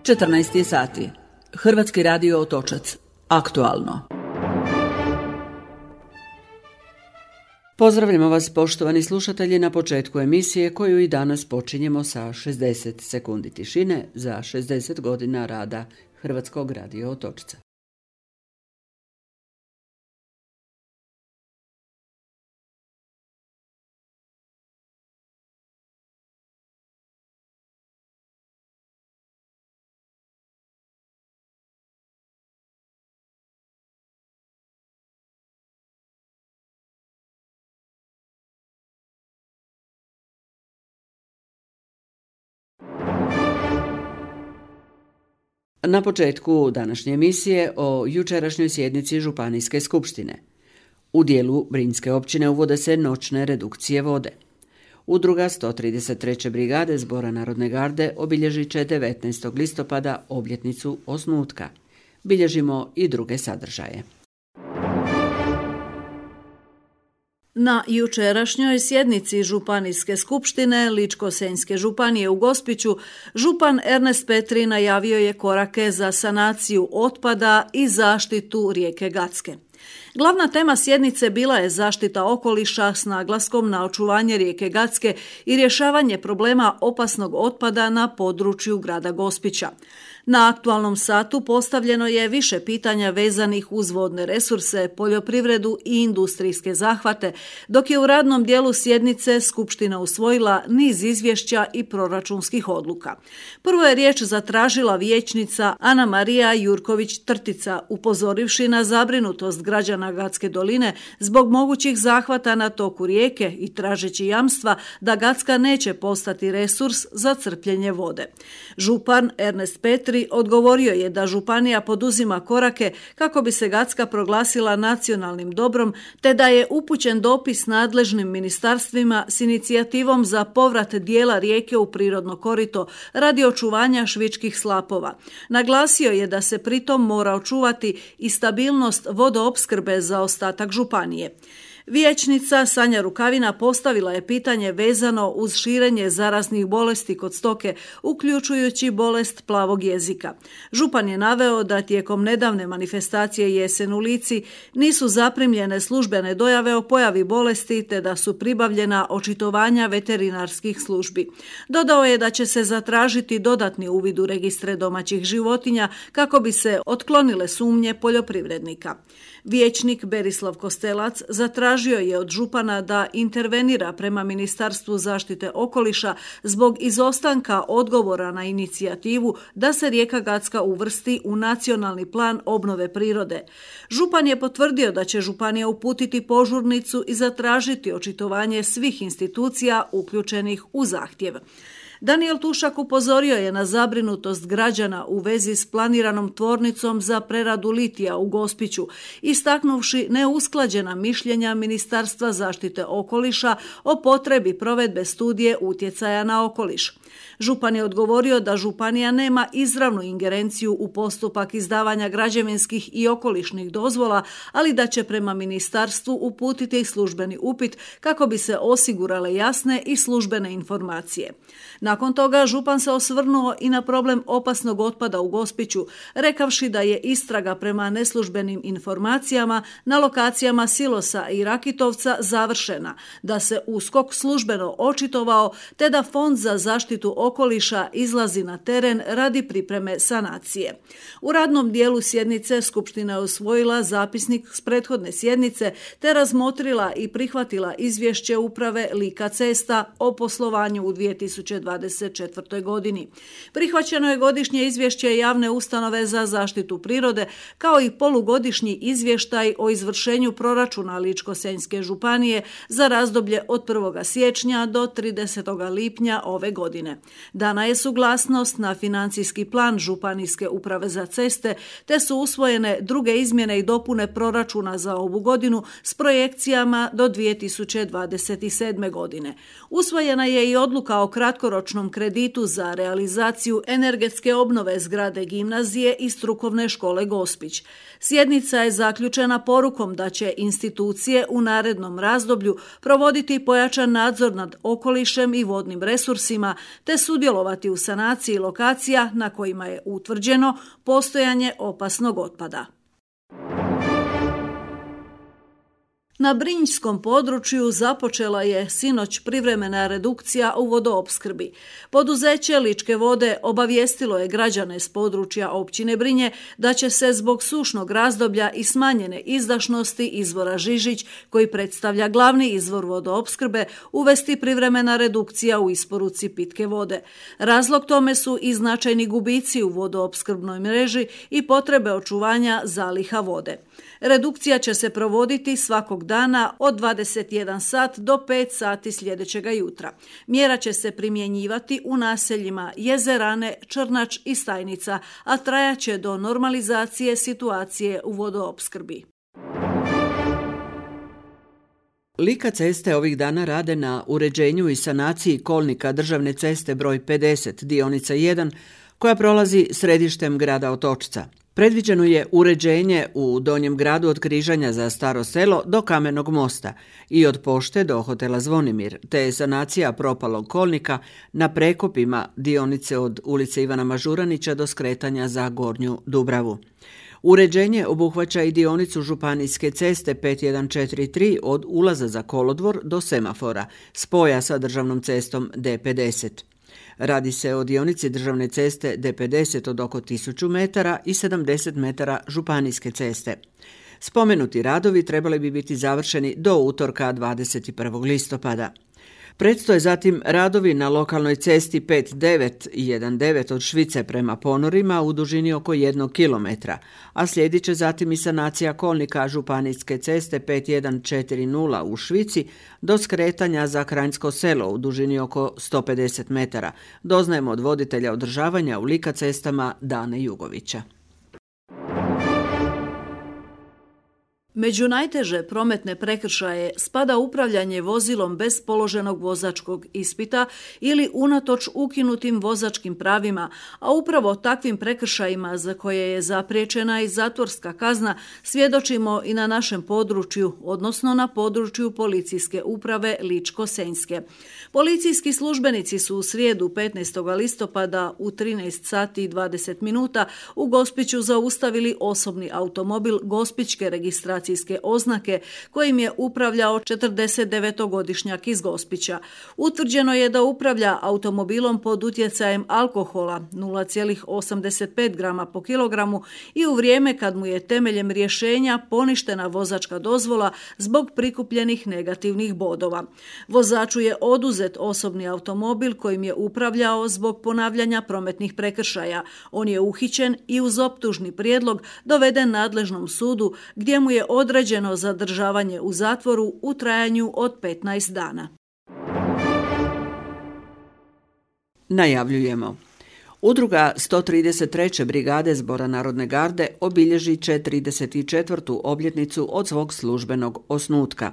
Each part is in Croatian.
14 sati. Hrvatski radio Otočac. Aktualno. Pozdravljamo vas, poštovani slušatelji, na početku emisije koju i danas počinjemo sa 60 sekundi tišine za 60 godina rada Hrvatskog radio Otočca. Na početku današnje emisije o jučerašnjoj sjednici Županijske skupštine. U dijelu Brinjske općine uvode se noćne redukcije vode. Udruga 133. brigade Zbora Narodne garde obilježit će 19. listopada obljetnicu osnutka. Bilježimo i druge sadržaje. Na jučerašnjoj sjednici Županijske skupštine Ličko-senjske županije u Gospiću, župan Ernest Petri najavio je korake za sanaciju otpada i zaštitu rijeke Gacke. Glavna tema sjednice bila je zaštita okoliša s naglaskom na očuvanje rijeke Gacke i rješavanje problema opasnog otpada na području grada Gospića. Na aktualnom satu postavljeno je više pitanja vezanih uz vodne resurse, poljoprivredu i industrijske zahvate, dok je u radnom dijelu sjednice Skupština usvojila niz izvješća i proračunskih odluka. Prvo je riječ zatražila vijećnica Ana Marija Jurković-Trtica, upozorivši na zabrinutost građana Gacke doline zbog mogućih zahvata na toku rijeke i tražeći jamstva da Gacka neće postati resurs za crpljenje vode. Župan Ernest Petri odgovorio je da županija poduzima korake kako bi se Gacka proglasila nacionalnim dobrom, te da je upućen dopis nadležnim ministarstvima s inicijativom za povrat dijela rijeke u prirodno korito radi očuvanja švičkih slapova. Naglasio je da se pritom mora očuvati i stabilnost vodoopskrbe za ostatak županije. Vijećnica Sanja Rukavina postavila je pitanje vezano uz širenje zaraznih bolesti kod stoke, uključujući bolest plavog jezika. Župan je naveo da tijekom nedavne manifestacije Jesen u Lici nisu zaprimljene službene dojave o pojavi bolesti, te da su pribavljena očitovanja veterinarskih službi. Dodao je da će se zatražiti dodatni uvid u registre domaćih životinja kako bi se otklonile sumnje poljoprivrednika. Vijećnik Berislav Kostelac zatražio je od župana da intervenira prema Ministarstvu zaštite okoliša zbog izostanka odgovora na inicijativu da se rijeka Gacka uvrsti u nacionalni plan obnove prirode. Župan je potvrdio da će županija uputiti požurnicu i zatražiti očitovanje svih institucija uključenih u zahtjev. Daniel Tušak upozorio je na zabrinutost građana u vezi s planiranom tvornicom za preradu litija u Gospiću, istaknuvši neusklađena mišljenja Ministarstva zaštite okoliša o potrebi provedbe studije utjecaja na okoliš. Župan je odgovorio da županija nema izravnu ingerenciju u postupak izdavanja građevinskih i okolišnih dozvola, ali da će prema ministarstvu uputiti službeni upit kako bi se osigurale jasne i službene informacije. Nakon toga župan se osvrnuo i na problem opasnog otpada u Gospiću, rekavši da je istraga prema neslužbenim informacijama na lokacijama Silosa i Rakitovca završena, da se USKOK službeno očitovao te da Fond za zaštitu okoliša izlazi na teren radi pripreme sanacije. U radnom dijelu sjednice Skupština je usvojila zapisnik s prethodne sjednice te razmotrila i prihvatila izvješće uprave Lika cesta o poslovanju u 2024. godini. Prihvaćeno je godišnje izvješće javne ustanove za zaštitu prirode kao i polugodišnji izvještaj o izvršenju proračuna Ličko-senjske županije za razdoblje od 1. siječnja do 30. lipnja ove godine. Dana je suglasnost na financijski plan Županijske uprave za ceste, te su usvojene druge izmjene i dopune proračuna za ovu godinu s projekcijama do 2027. godine. Usvojena je i odluka o kratkoročnom dugoročnom kreditu za realizaciju energetske obnove zgrade gimnazije i strukovne škole Gospić. Sjednica je zaključena porukom da će institucije u narednom razdoblju provoditi pojačan nadzor nad okolišem i vodnim resursima te sudjelovati u sanaciji lokacija na kojima je utvrđeno postojanje opasnog otpada. Na Brinjskom području započela je sinoć privremena redukcija u vodoopskrbi. Poduzeće Ličke vode obavijestilo je građane s područja općine Brinje da će se zbog sušnog razdoblja i smanjene izdašnosti izvora Žižić, koji predstavlja glavni izvor vodoopskrbe, uvesti privremena redukcija u isporuci pitke vode. Razlog tome su i značajni gubici u vodoopskrbnoj mreži i potrebe očuvanja zaliha vode. Redukcija će se provoditi svakog dana od 21 sat do 5 sati sljedećega jutra. Mjera će se primjenjivati u naseljima Jezerane, Črnač i Stajnica, a trajaće do normalizacije situacije u vodoopskrbi. Lika ceste ovih dana rade na uređenju i sanaciji kolnika državne ceste broj 50, dionica 1, koja prolazi središtem grada Otočca. Predviđeno je uređenje u Donjem gradu od križanja za Staro selo do Kamenog mosta i od pošte do hotela Zvonimir, te sanacija propalog kolnika na prekopima dionice od ulice Ivana Mažuranića do skretanja za Gornju Dubravu. Uređenje obuhvaća i dionicu županijske ceste 5143 od ulaza za kolodvor do semafora, spoja sa državnom cestom D50. Radi se o dionici državne ceste D50 od oko 1000 metara i 70 metara županijske ceste. Spomenuti radovi trebali bi biti završeni do utorka 21. listopada. Predstoje zatim radovi na lokalnoj cesti 5919 od Švice prema Ponorima u dužini oko 1 km, a slijedit će zatim i sanacija kolnika županijske ceste 5140 u Švici do skretanja za Kranjsko selo u dužini oko 150 metara, doznajemo od voditelja održavanja u Lika cestama Dane Jugovića. Među najteže prometne prekršaje spada upravljanje vozilom bez položenog vozačkog ispita ili unatoč ukinutim vozačkim pravima, a upravo takvim prekršajima za koje je zapriječena i zatvorska kazna svjedočimo i na našem području, odnosno na području policijske uprave Ličko-senjske. Policijski službenici su u srijedu 15. listopada u 13 sati i 20 minuta u Gospiću zaustavili osobni automobil gospićke registracije oznake kojim je upravljao 49-godišnjak iz Gospića. Utvrđeno je da upravlja automobilom pod utjecajem alkohola 0,85 grama po kilogramu i u vrijeme kad mu je temeljem rješenja poništena vozačka dozvola zbog prikupljenih negativnih bodova. Vozaču je oduzet osobni automobil kojim je upravljao zbog ponavljanja prometnih prekršaja. On je uhićen i uz optužni prijedlog doveden nadležnom sudu gdje mu je određeno zadržavanje u zatvoru u trajanju od 15 dana. Najavljujemo. Udruga 133. brigade Zbora narodne garde obilježit će 34. obljetnicu od svog službenog osnutka.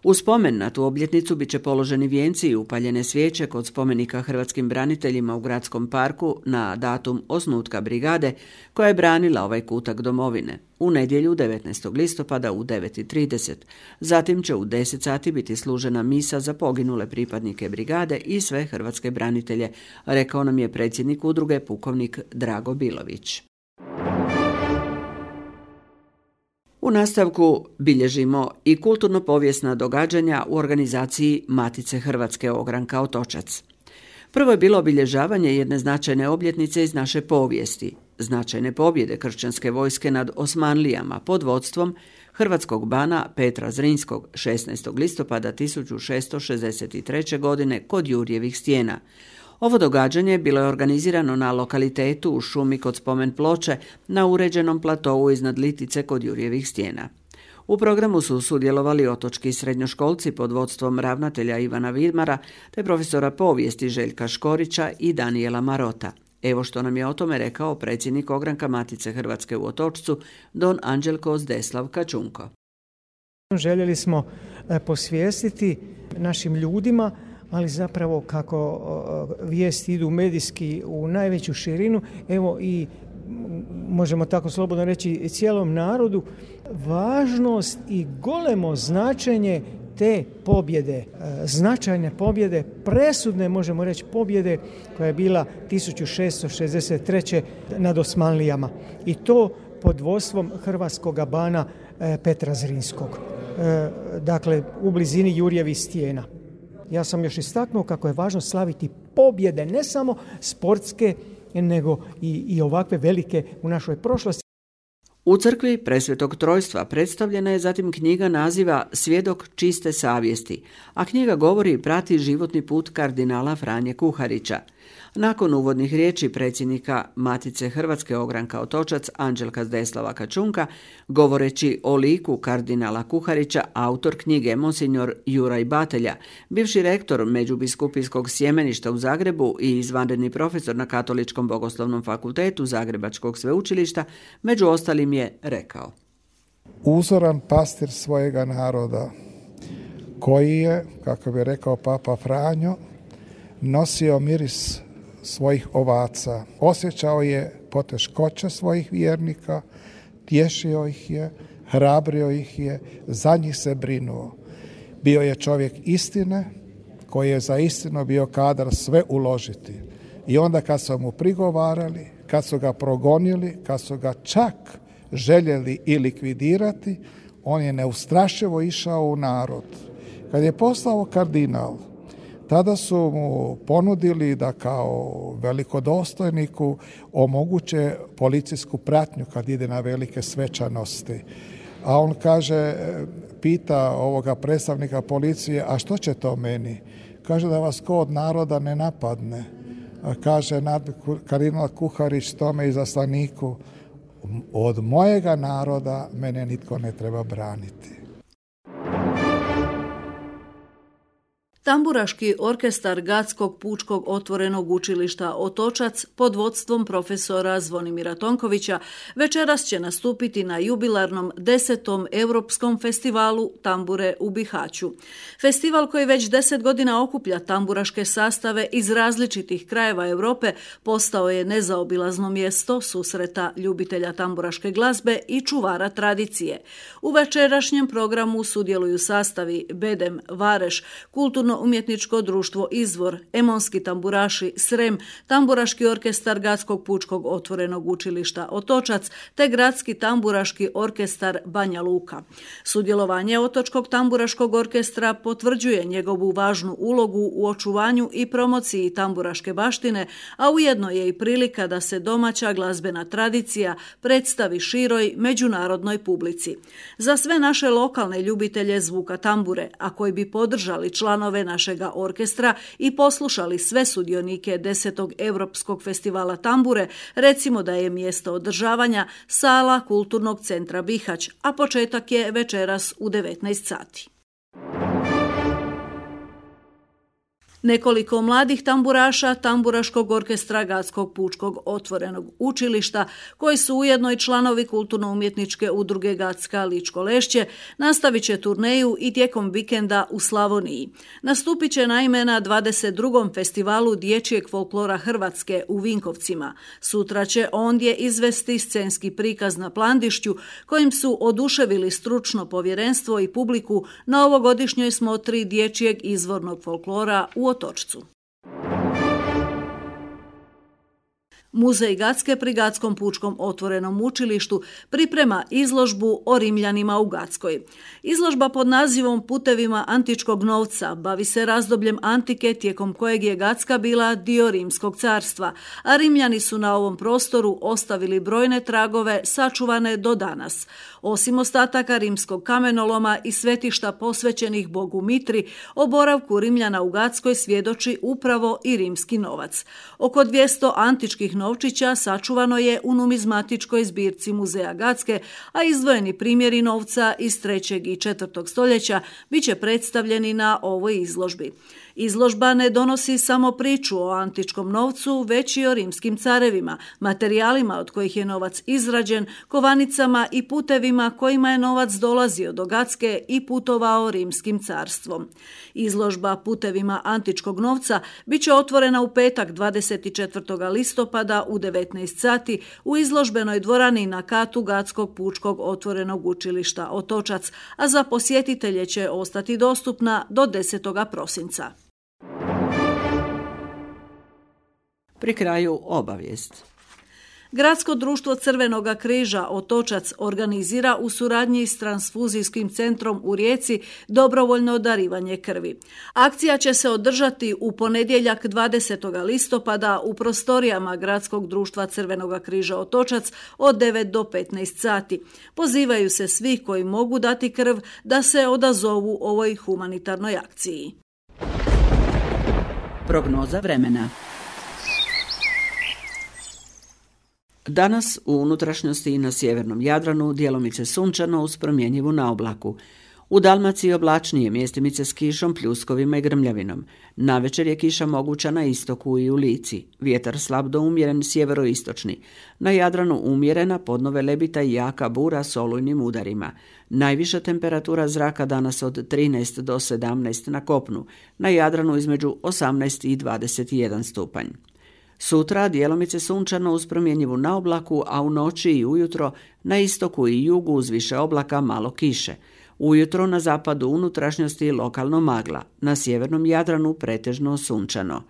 U spomen na tu obljetnicu bit će položeni vijenci i upaljene svijeće kod spomenika hrvatskim braniteljima u Gradskom parku na datum osnutka brigade koja je branila ovaj kutak domovine. U nedjelju 19. listopada u 9:30. Zatim će u 10 sati biti služena misa za poginule pripadnike brigade i sve hrvatske branitelje, rekao nam je predsjednik udruge pukovnik Drago Bilović. U nastavku bilježimo i kulturno-povijesna događanja u organizaciji Matice Hrvatske Ogranka Otočac. Prvo je bilo obilježavanje jedne značajne obljetnice iz naše povijesti, značajne pobjede kršćanske vojske nad Osmanlijama pod vodstvom hrvatskog bana Petra Zrinskog 16. listopada 1663. godine kod Jurjevih stijena. Ovo događanje bilo je organizirano na lokalitetu u šumi kod spomen ploče na uređenom platovu iznad Litice kod Jurjevih stijena. U programu su sudjelovali otočki srednjoškolci pod vodstvom ravnatelja Ivana Vidmara te profesora povijesti Željka Škorića i Danijela Marota. Evo što nam je o tome rekao predsjednik Ogranka Matice Hrvatske u Otočcu, don Anđelko Zdeslav Kačunko. Željeli smo posvijestiti našim ljudima ali zapravo kako vijesti idu medijski u najveću širinu, evo i možemo tako slobodno reći cijelom narodu, važnost i golemo značenje te pobjede, značajne pobjede, presudne možemo reći pobjede koja je bila 1663. nad Osmanlijama i to pod vodstvom hrvatskog bana Petra Zrinskog, dakle u blizini Jurjevih stijena. Ja sam još istaknuo kako je važno slaviti pobjede, ne samo sportske, nego i ovakve velike u našoj prošlosti. U crkvi Presvetog Trojstva predstavljena je zatim knjiga naziva Svjedok čiste savjesti, a knjiga govori i prati životni put kardinala Franje Kuharića. Nakon uvodnih riječi predsjednika Matice Hrvatske Ogranka Otočac Anđelka Zdeslava Kačunka, govoreći o liku kardinala Kuharića, autor knjige monsignor Juraj Batelja, bivši rektor Međubiskupijskog sjemeništa u Zagrebu i izvanredni profesor na Katoličkom bogoslovnom fakultetu Zagrebačkog sveučilišta, među ostalim je rekao: Uzoran pastir svojega naroda, koji je, kako bi rekao Papa Franjo, nosio miris svojih ovaca, osjećao je poteškoće svojih vjernika, tješio ih je, hrabrio ih je, za njih se brinuo. Bio je čovjek istine koji je za istinu bio kadar sve uložiti. I onda kad su mu prigovarali, kad su ga progonili, kad su ga čak željeli i likvidirati, on je neustrašivo išao u narod. Kad je postao kardinal, tada su mu ponudili da kao velikodostojniku omoguće policijsku pratnju kad ide na velike svečanosti. A on kaže, pita ovoga predstavnika policije, a što će to meni? Kaže da vas ko od naroda ne napadne. A kaže kardinal Kuharić tome izaslaniku, od mojega naroda mene nitko ne treba braniti. Tamburaški orkestar Gatskog pučkog otvorenog učilišta Otočac pod vodstvom profesora Zvonimira Tonkovića večeras će nastupiti na jubilarnom 10. Europskom festivalu tambure u Bihaću. Festival koji već 10 godina okuplja tamburaške sastave iz različitih krajeva Europe postao je nezaobilazno mjesto susreta ljubitelja tamburaške glazbe i čuvara tradicije. U večerašnjem programu sudjeluju sastavi Bedem, Vareš, Kulturno-umjetničko društvo Izvor, Emonski tamburaši Srem, Tamburaški orkestar Gatskog pučkog otvorenog učilišta Otočac te Gradski tamburaški orkestar Banja Luka. Sudjelovanje Otočkog tamburaškog orkestra potvrđuje njegovu važnu ulogu u očuvanju i promociji tamburaške baštine, a ujedno je i prilika da se domaća glazbena tradicija predstavi široj međunarodnoj publici. Za sve naše lokalne ljubitelje zvuka tambure, a koji bi podržali članove našega orkestra i poslušali sve sudionike 10. Europskog festivala tambure, recimo da je mjesto održavanja sala Kulturnog centra Bihać, a početak je večeras u 19 sati. Nekoliko mladih tamburaša Tamburaškog orkestra Gatskog pučkog otvorenog učilišta, koji su ujedno i članovi kulturno-umjetničke udruge Gatska Ličko Lešće, nastavit će turneju i tijekom vikenda u Slavoniji. Nastupit će naime na 22. festivalu dječjeg folklora Hrvatske u Vinkovcima. Sutra će ondje izvesti scenski prikaz na Plandišću, kojim su oduševili stručno povjerenstvo i publiku na ovogodišnjoj smotri dječjeg izvornog folklora u Otočcu. Muzej Gatske pri Gatskom pučkom otvorenom učilištu priprema izložbu o Rimljanima u Gatskoj. Izložba pod nazivom Putevima antičkog novca bavi se razdobljem antike tijekom kojeg je Gatska bila dio Rimskog carstva, a Rimljani su na ovom prostoru ostavili brojne tragove sačuvane do danas. Osim ostataka rimskog kamenoloma i svetišta posvećenih bogu Mitri, o boravku Rimljana u Gatskoj svjedoči upravo i rimski novac. Oko 200 antičkih novčića sačuvano je u numizmatičkoj zbirci Muzeja Gacke, a izdvojeni primjeri novca iz 3. i 4. stoljeća bit će predstavljeni na ovoj izložbi. Izložba ne donosi samo priču o antičkom novcu, već i o rimskim carevima, materijalima od kojih je novac izrađen, kovanicama i putevima kojima je novac dolazio do Gacke i putovao rimskim carstvom. Izložba putevima antičkog novca bit će otvorena u petak 24. listopada u 19 sati u izložbenoj dvorani na katu Gackog pučkog otvorenog učilišta Otočac, a za posjetitelje će ostati dostupna do 10. prosinca. Pri kraju obavijest. Gradsko društvo Crvenog križa Otočac organizira u suradnji s Transfuzijskim centrom u Rijeci dobrovoljno darivanje krvi. Akcija će se održati u ponedjeljak 20. listopada u prostorijama Gradskog društva Crvenog križa Otočac od 9 do 15 sati. Pozivaju se svi koji mogu dati krv da se odazovu ovoj humanitarnoj akciji. Prognoza vremena. Danas u unutrašnjosti i na sjevernom Jadranu djelomice sunčano uz promjenjivu naoblaku. U Dalmaciji oblačnije, mjestimice s kišom, pljuskovima i grmljavinom. Navečer je kiša moguća na istoku i u Lici. Vjetar slab do umjeren sjeveroistočni. Na Jadranu umjerena, podno velebita i jaka bura s olujnim udarima. Najviša temperatura zraka danas od 13 do 17 na kopnu. Na Jadranu između 18 i 21 stupanj. Sutra djelomice sunčano uz promjenjivu naoblaku, a u noći i ujutro na istoku i jugu uz više oblaka malo kiše. Ujutro na zapadu unutrašnjosti lokalno magla, na sjevernom Jadranu pretežno sunčano.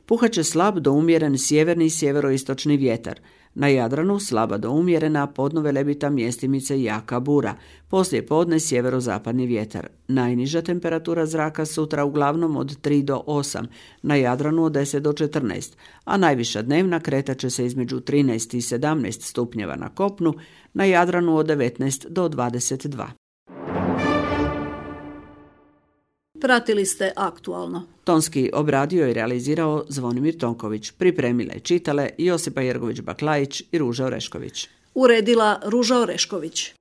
Puhat će slab do umjeren sjeverni i sjeveroistočni vjetar. Na Jadranu slaba do umjerena, podno velebita, mjestimice jaka bura. Poslije podne sjeverozapadni vjetar. Najniža temperatura zraka sutra uglavnom od 3 do 8, na Jadranu od 10 do 14, a najviša dnevna kretat će se između 13 i 17 stupnjeva na kopnu, na Jadranu od 19 do 22. Pratili ste Aktualno. Tonski obradio i realizirao Zvonimir Tonković, pripremile i čitale Josipa Jergović-Baklajić i Ruža Orešković. Uredila Ruža Orešković.